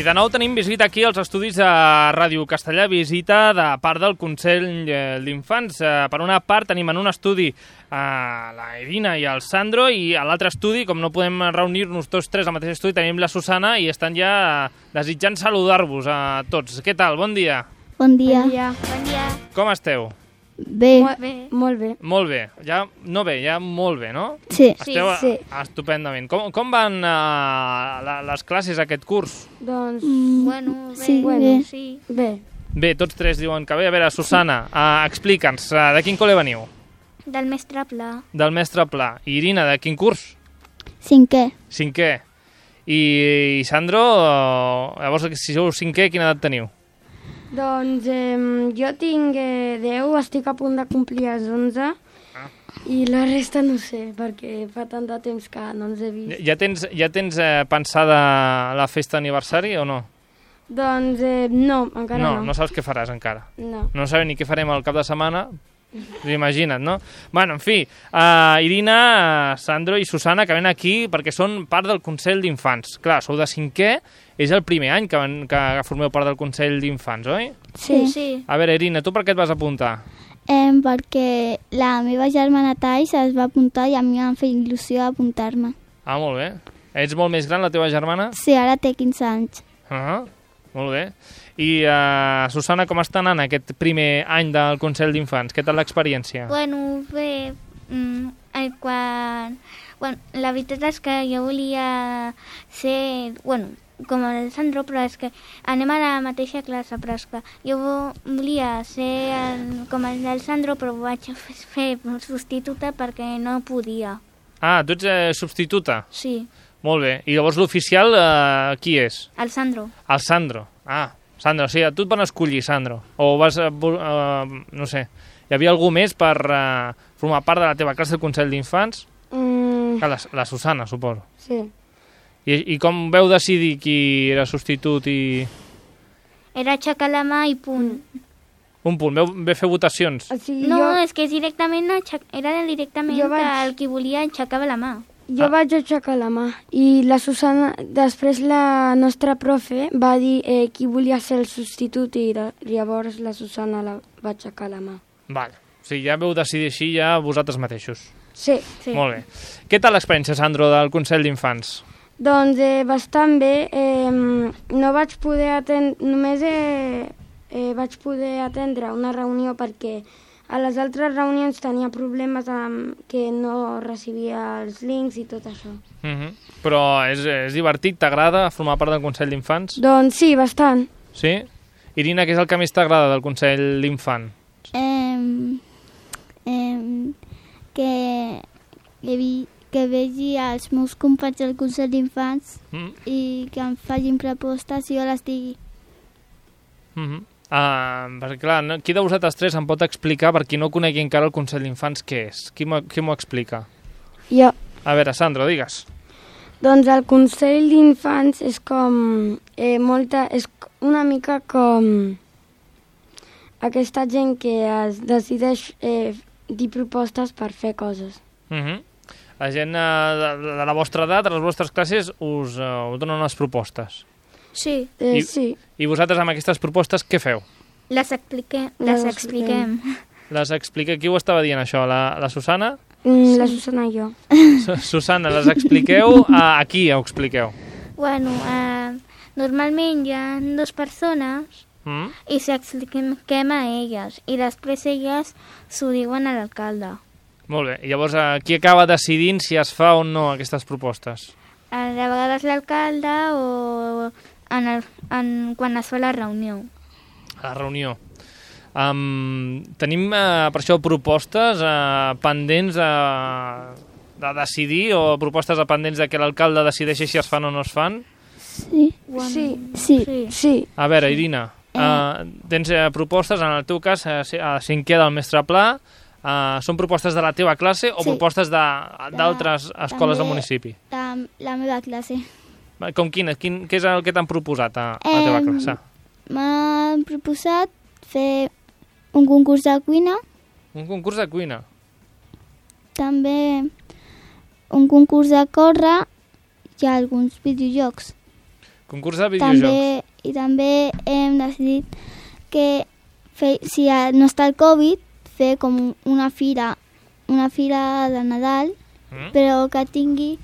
de nou tenim visita aquí als estudis de Ràdio Castellà, visita de part del Consell d'Infants. Per una part tenim en un estudi la Irina i el Sandro, i a l'altre estudi, com no podem reunir-nos tots tres al mateix estudi, tenim la Susana, i estan ja desitjant saludar-vos a tots. Què tal? Bon dia. Bon dia. Bon dia. Com esteu? Bé. Molt bé. Molt bé. Ja no bé, ja molt bé, no? Sí. Esteu Sí. estupendament. Com van les classes aquest curs? Doncs, Bueno, bé. sí, Bueno, bé. sí. Bé. Bé, tots tres diuen que bé. A veure, Susana, explica'ns, de quin col·le veniu? Del mestre Pla. Del mestre Pla. I Irina, de quin curs? Cinquè. Cinquè. I Sandro, llavors, si sou cinquè, quina edat teniu? Doncs jo tinc 10, estic a punt de complir els 11 i la resta no sé, perquè fa tant de temps que no ens he vist. Ja tens pensada la festa d'aniversari o no? Doncs no, encara no. No saps què faràs encara. No. No sabem ni què farem al cap de setmana. Imagina't, no? Bueno, en fi, Irina, Sandro i Susana, que ven aquí perquè són part del Consell d'Infants. Clar, sou de cinquè, és el primer any que formeu part del Consell d'Infants, oi? Sí. Sí. A veure, Irina, tu per què et vas apuntar? Perquè la meva germana Thais es va apuntar i a mi em feia il·lusió apuntar-me. Ah, molt bé. Ets molt més gran, la teva germana? Sí, ara té 15 anys. Molt bé. I, Susana, com està anant aquest primer any del Consell d'Infants? Què tal l'experiència? Bueno, bé, Bueno, la veritat és que jo volia ser... Bueno, com el Sandro, però és que anem a la mateixa classe, però és que jo volia ser com el del Sandro, però vaig fer substituta perquè no podia. Ah, tu ets substituta? Sí, Molt bé. I llavors l'oficial, qui és? el Sandro. El Sandro. Ah, Sandro, sí, tu et van escollir, Sandro. O vas, no sé, hi havia algú més per formar part de la teva classe del Consell d'Infants? La Susana, suposo. Sí. I com veu decidir qui era substitut i... Era aixecar la mà i punt. Un punt, veu fer votacions? O sigui, No, és que directament era directament Jo vaig- el qui volia aixecava la mà. jo vaig aixecar la mà i la Susana, després la nostra profe va dir qui volia ser el substitut i llavors la Susana va aixecar la mà. Vale. O sigui, ja veu decidir així ja vosaltres mateixos. Sí. Sí. Molt bé. Què tal l'experiència, Sandro, del Consell d'Infants? Doncs bastant bé. No vaig poder atendre, només vaig poder atendre una reunió perquè a les altres reunions tenia problemes amb que no recibia els links i tot això. Però és divertit, t'agrada formar part del Consell d'Infants? Doncs sí, bastant. Sí? Irina, què és el que més t'agrada del Consell d'Infant? Que vegi els meus companys del Consell d'Infants i que em facin propostes i jo les digui. Perquè, clar, qui de vosaltres tres em pot explicar, per qui no conegui encara el Consell d'Infants, què és? Qui m'ho explica? Jo. A veure, Sandro, digues. Doncs el Consell d'Infants és com és una mica com aquesta gent que es decideix dir propostes per fer coses. La gent de la vostra edat, de les vostres classes, us donen unes propostes. Sí, Sí. I vosaltres amb aquestes propostes què feu? les expliquem. Les expliqueu. Qui ho estava dient, això? La Susana? La Susana i jo. Susana, les expliqueu? A qui ho expliqueu? Bueno, normalment hi ha dues persones i s'expliquem a elles i després elles s'ho diuen a l'alcalde. Molt bé. I llavors, qui acaba decidint si es fa o no aquestes propostes? A vegades l'alcalde o quan es fa la reunió. A la reunió. Tenim, per això, propostes pendents de decidir o propostes pendents de que l'alcalde decideixi si es fan o no es fan? Sí. Sí. A veure, Irina, tens propostes, en el teu cas, a cinquè del mestre Pla, són propostes de la teva classe o propostes d'altres escoles del municipi? La meva classe. Com quines? Què és el que t'han proposat a la teva classe? M'han proposat fer un concurs de cuina, Un concurs de cuina. també un concurs de córrer i alguns videojocs. Concurs de videojocs. També hem decidit que si no està el Covid, fer com una fira de Nadal, però que tingui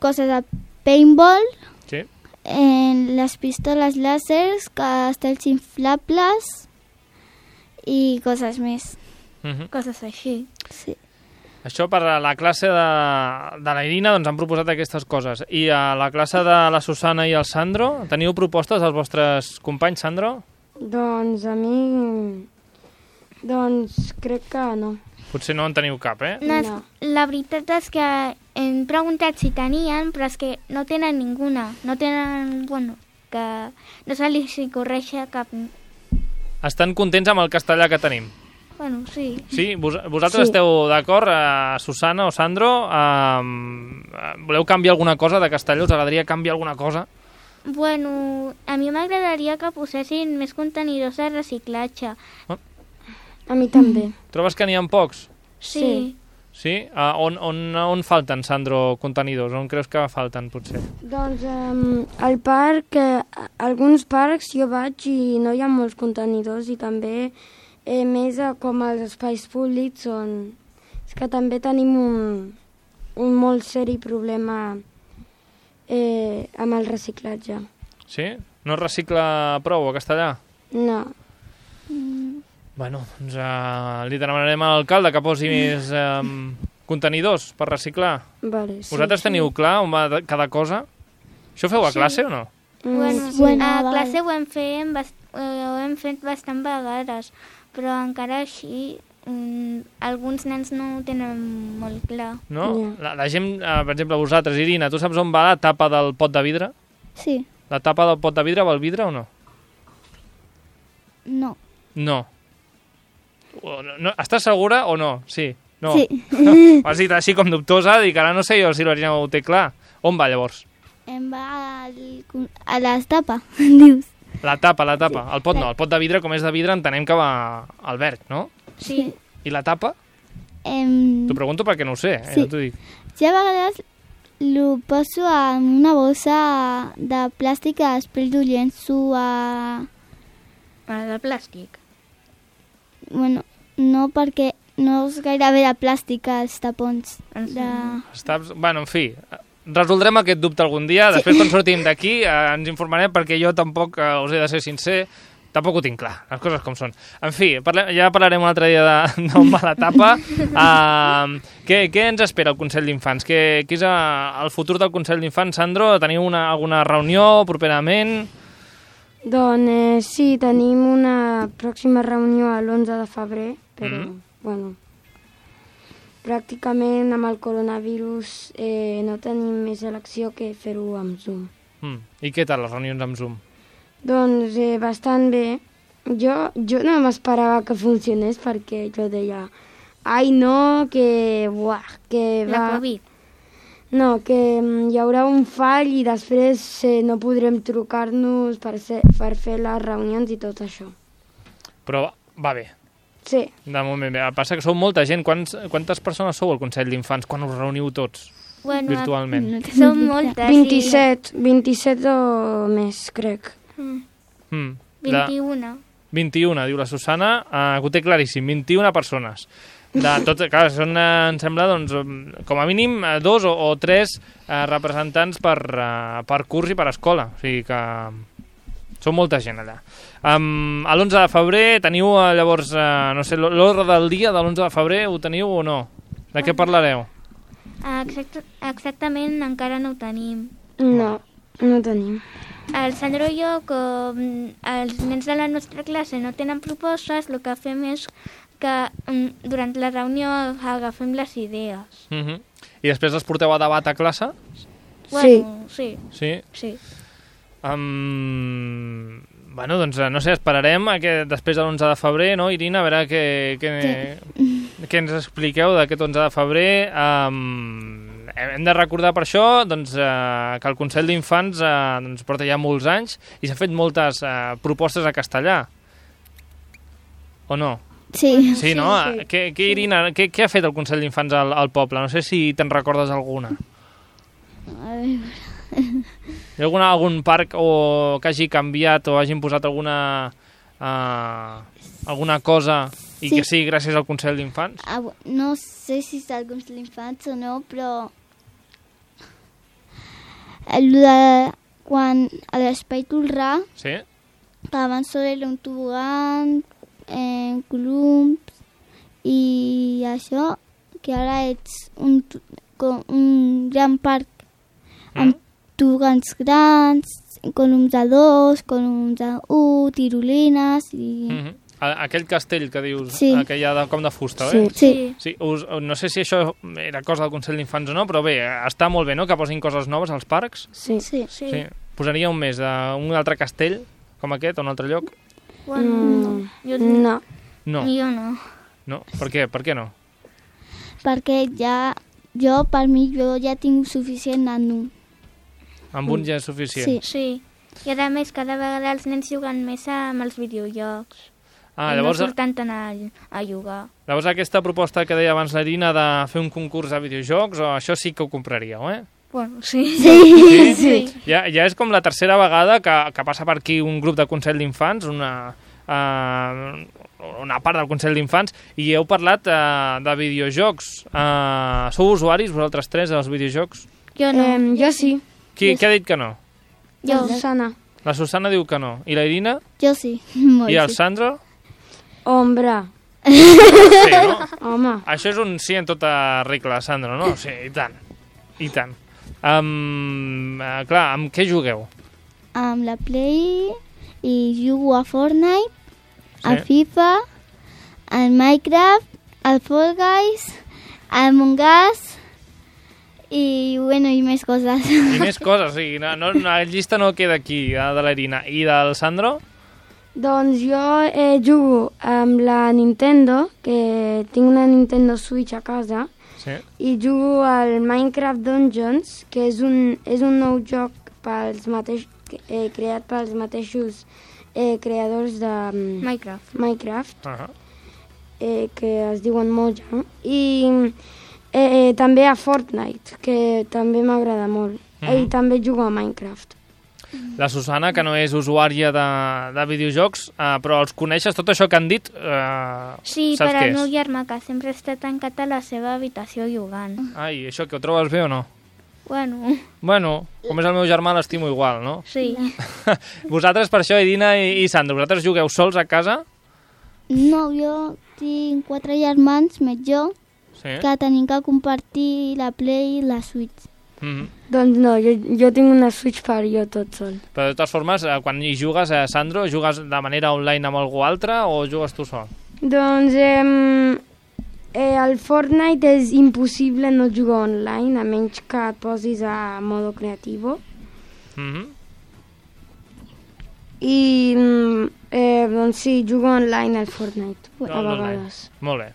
coses de paintball, Sí. Les pistoles làsers, castells inflables i coses més. Coses així. Sí. Això per a la classe de la Irina doncs han proposat aquestes coses. I a la classe de la Susana i el Sandro, teniu propostes dels vostres companys, Sandro? Doncs a mi... Doncs crec que no. Potser no en teniu cap, eh? No. La veritat és que hem preguntat si tenien, però és que no tenen ninguna. No tenen, que no se li corregia cap... Estan contents amb el castellà que tenim? Sí. Sí? Vosaltres esteu d'acord, Susana o Sandro? Voleu canviar alguna cosa de castellà? Us agradaria canviar alguna cosa? A mi m'agradaria que posessin més contenidors de reciclatge. A mi també. Trobes que n'hi ha pocs? Sí. Sí? On falten, Sandro, contenidors? On creus que falten, potser? Doncs al parc, alguns parcs jo vaig i no hi ha molts contenidors i també més com els espais públics on... És que també tenim un molt seri problema amb el reciclatge. Sí? No es recicla prou a castellà? No. Bueno, doncs li demanarem a l'alcalde que posi més contenidors per reciclar. Vale, sí. Vosaltres teniu clar on va cada cosa? Això ho feu a classe o no? A classe ho hem fet bastant vegades, però encara així alguns nens no ho tenen molt clar. No? La gent, per exemple, vosaltres, Irina, tu saps on va la tapa del pot de vidre? Sí. La tapa del pot de vidre va al vidre o no? No. No. Estàs segura o no? Sí. No. Sí. Has dit així com dubtosa, dic, ara no sé jo si l'Irina ho té clar. On va, llavors? Em va a la tapa, dius. La tapa. El pot no, el pot de vidre, com és de vidre, entenem que va al verd, no? Sí. I la tapa? T'ho pregunto perquè no ho sé, sí. Ja t'ho dic. Jo a vegades ho poso en una bossa de plàstic i després ho llenço a... De plàstic? Bueno, no perquè no és gairebé de plàstic els tapons. Bueno, en fi, resoldrem aquest dubte algun dia. Després, quan sortim d'aquí, ens informarem perquè jo tampoc, us he de ser sincer, tampoc ho tinc clar, les coses com són. En fi, ja parlarem un altre dia d'on va la tapa. Què ens espera el Consell d'Infants? Què és el futur del Consell d'Infants? Sandro, teniu alguna reunió properament? Doncs sí, tenim una pròxima reunió l'11 de febrer, però, pràcticament amb el coronavirus no tenim més elecció que fer-ho amb Zoom. I què tal les reunions amb Zoom? Doncs bastant bé. Jo no m'esperava que funcionés perquè jo deia ai no, que La Covid. No, que hi haurà un fall i després no podrem trucar-nos per fer les reunions i tot això. Però va bé. Sí. De moment bé. Passa que sou molta gent. Quantes persones sou al Consell d'Infants quan us reuniu tots virtualment? Som moltes. 27 o més, crec. 21. 21, diu la Susana, que ho té claríssim, 21 persones. Clar, són, em sembla, doncs, com a mínim 2 o 3 representants per curs i per escola. O sigui que són molta gent allà. A l'11 de febrer teniu, llavors, no sé, l'ordre del dia de l'11 de febrer ho teniu o no? De què parlareu? Exactament, encara no ho tenim. No tenim. El Sandro i jo, com els nens de la nostra classe no tenen propostes, el que fem és que durant la reunió agafem les idees. I després les porteu a debat a classe? Sí. Sí? Bueno, doncs, no sé, esperarem després de l'11 de febrer, no, Irina? A veure què ens expliqueu d'aquest 11 de febrer. Hem de recordar per això doncs, que el Consell d'Infants doncs, porta ja molts anys i s'ha fet moltes propostes a castellà. O no? Sí. Sí, no? Irina, què ha fet el Consell d'Infants al poble? No sé si te'n recordes alguna. A veure... Hi ha algun parc que hagi canviat o hagin posat alguna cosa i Sí. que sigui gràcies al Consell d'Infants? No sé si és el Consell d'Infants o no, però... Quan a l'Espai Tolrà, Sí? que abans solo era un tobogan, columns i això, que ara ets un gran parc amb tobogans grans, columns de 2, columns de 1, tirolines i... Aquell castell que dius, Sí. que hi ha com de fusta, oi? Sí. Sí, no sé si això era cosa del Consell d'Infants o no, però bé, està molt bé, no?, que posin coses noves als parcs. Sí. Sí. Sí. Posaria un més d'un altre castell, com aquest, o un altre lloc? Bueno, jo, No. No. jo no. No? Per què? Per què no? Perquè per mi, ja tinc suficient en un. Amb un ja és suficient? Sí. Sí. I a més, cada vegada els nens juguen més amb els videojocs. Ah, I llavors, no surten tant a jugar. llavors aquesta proposta que deia abans l'Irina de fer un concurs de videojocs, o això sí que ho compraríeu, eh? Bueno, sí. Sí? Ja és com la tercera vegada que passa per aquí un grup de Consell d'Infants, una part del Consell d'Infants, i heu parlat de videojocs. Sou usuaris, vosaltres tres, dels videojocs? Jo no. Jo sí. Qui ha dit que no? Jo. Susana. La Susana diu que no. I la Irina? Jo sí. Molt I el sí. Sandro? Ombra. Sí, no? Home. Això és un sí en tota regla, Sandro, no? Sí, i tant. I tant. Clar, amb què jugueu? Amb la Play i jugo a Fortnite, a Sí. FIFA, al Minecraft, al Fall Guys, al Among Us i més coses. I més coses, o sigui, la llista no queda aquí, de la Irina. I del Sandro? Doncs jo jugo amb la Nintendo, que tinc una Nintendo Switch a casa, Sí. i jugo al Minecraft Dungeons, que és un nou joc creat pels mateixos creadors de Minecraft, que es diuen Mojang, i també a Fortnite, que també m'agrada molt, i també jugo a Minecraft. La Susana, que no és usuària de videojocs, però els coneixes, tot això que han dit, Sí, saps per què al meu és? germà, que sempre està tancat a la seva habitació jugant. Ai, això que ho trobes bé o no? Bueno, Bueno, com és el meu germà, l'estimo igual, no? sí. Vosaltres, per això, Irina i Sandro, vosaltres jugueu sols a casa? No, jo tinc 4 germans, més jo, Sí. que tenim que compartir la Play i la Switch. Doncs no, jo tinc una Switch per jo tot sol. Però de totes formes, quan hi jugues, Sandro, jugues de manera online amb algú altre o jugues tu sol? Doncs el Fortnite és impossible no jugar online, a menys que et posis a modo creativo. I doncs sí, jugo online al Fortnite, a vegades. Molt bé.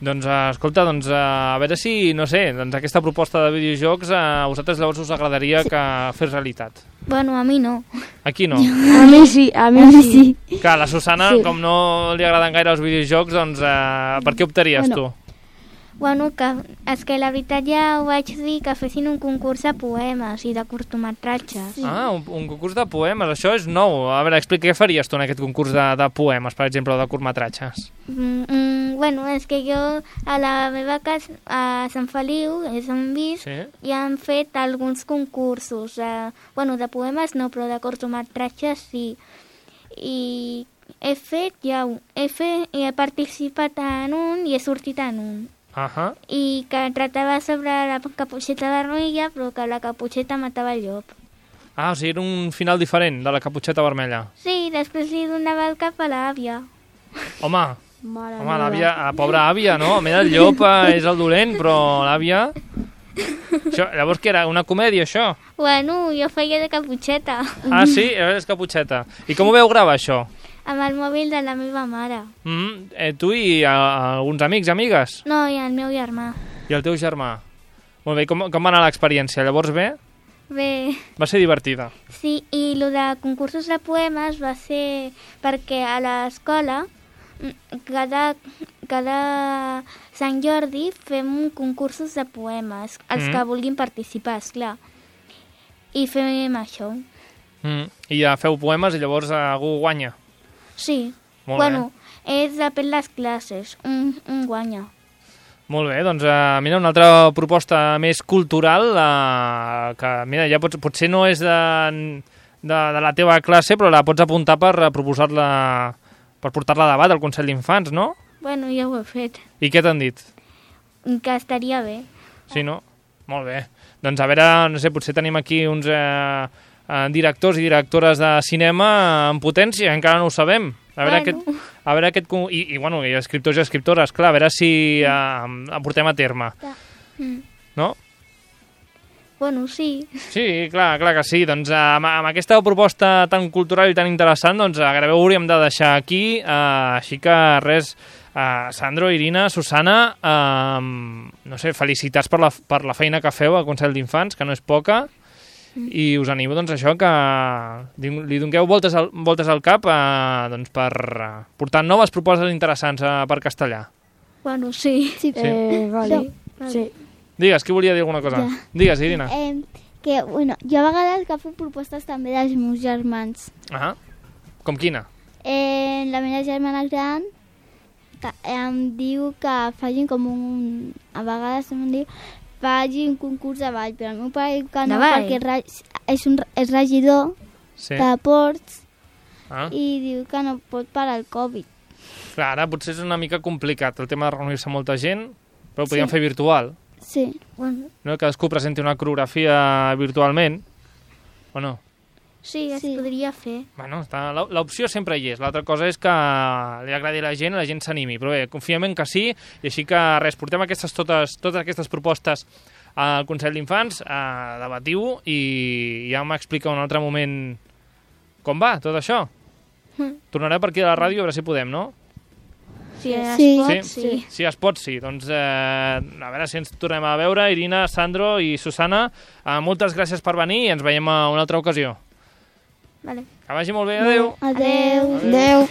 Doncs, escolta, a veure si, no sé, aquesta proposta de videojocs a vosaltres llavors us agradaria que fes realitat. Bueno, a mi no. Aquí no. A mi sí, a mi sí. Clar, la Susana, Sí. com no li agraden gaire els videojocs, doncs per què optaries tu? Bueno, és que la veritat ja ho vaig dir, que fessin un concurs de poemes i de curtmetratges. Ah, un concurs de poemes, això és nou. A veure, explica, què faries tu en aquest concurs de poemes, per exemple, o de curtmetratges? Bueno, és que jo a la meva casa, a Sant Feliu, és on visc, Sí? i han fet alguns concursos. Bueno, de poemes no, però de curtmetratges sí. I he participat en un i he sortit en un. I que tractava sobre la caputxeta vermella, però que la caputxeta matava el llop. Ah, o sigui, era un final diferent de la caputxeta vermella. Sí, després li donava el cap a l'àvia. Home, l'àvia, la pobra àvia, no? A més, el llop és el dolent, però l'àvia... Això, llavors, què era? Una comèdia, això? Bueno, jo feia de caputxeta. Ah, sí? És caputxeta. I com ho veu gravar, això? Amb el mòbil de la meva mare. Tu i alguns amics, amigues? No, i el meu germà. I el teu germà? Molt bé, com va anar l'experiència? Llavors bé? Bé, Va ser divertida. sí, i el de concursos de poemes va ser perquè a l'escola cada Sant Jordi fem concursos de poemes, els que vulguin participar, esclar. I fem això. I ja feu poemes i llavors algú guanya. Sí. Molt Bueno, és depèn les classes. Un guanya. Molt bé, doncs mira, una altra proposta més cultural, que mira, ja potser no és de la teva classe, però la pots apuntar per proposar-la, per portar-la a debat al Consell d'Infants, no? Bueno, ja ho he fet. I què t'han dit? Que estaria bé. Sí, no? Molt bé. Doncs a veure, no sé, potser tenim aquí uns directors i directores de cinema en potència, encara no ho sabem. A veure bueno, i escriptors i escriptores, clar, a veure si el portem a terme. No? Bueno, sí. Sí, clar que sí. Doncs amb aquesta proposta tan cultural i tan interessant, doncs gairebé ho hauríem de deixar aquí. Així que res, Sandro, Irina, Susana, no sé, felicitats per la feina que feu al Consell d'Infants, que no és poca, i us animo, doncs, això, que li dongueu voltes al cap doncs, per portar noves propostes interessants per castellà. Bueno, sí. Vale. Sí. Digues, qui volia dir alguna cosa? Ja. Digues, Irina. Que, bueno, jo a vegades agafo propostes també dels meus germans. Com quina? La meva germana gran em diu que facin com a vegades em diu faci un concurs de ball, però el meu pare diu que no, perquè és regidor de ports i diu que no pot parar el Covid. Clar, ara potser és una mica complicat el tema de reunir-se molta gent, però ho podríem fer virtual. Sí. Bueno. No? Cadascú presenti una coreografia virtualment, o no? Sí, es podria fer. Bueno, l'opció sempre hi és. L'altra cosa és que li agradi a la gent s'animi. Però bé, confiem en que sí, i així que res, portem totes aquestes propostes al Consell d'Infants, debatiu, i ja m'explica un altre moment com va tot això. Tornaré per aquí a la ràdio a veure si podem, no? Si es pot, sí. Si es pot, sí. Doncs a veure si ens tornem a veure. Irina, Sandro i Susana, moltes gràcies per venir i ens veiem a una altra ocasió. Vale. Que vagi molt bé, adeu. Adeu. Adeu.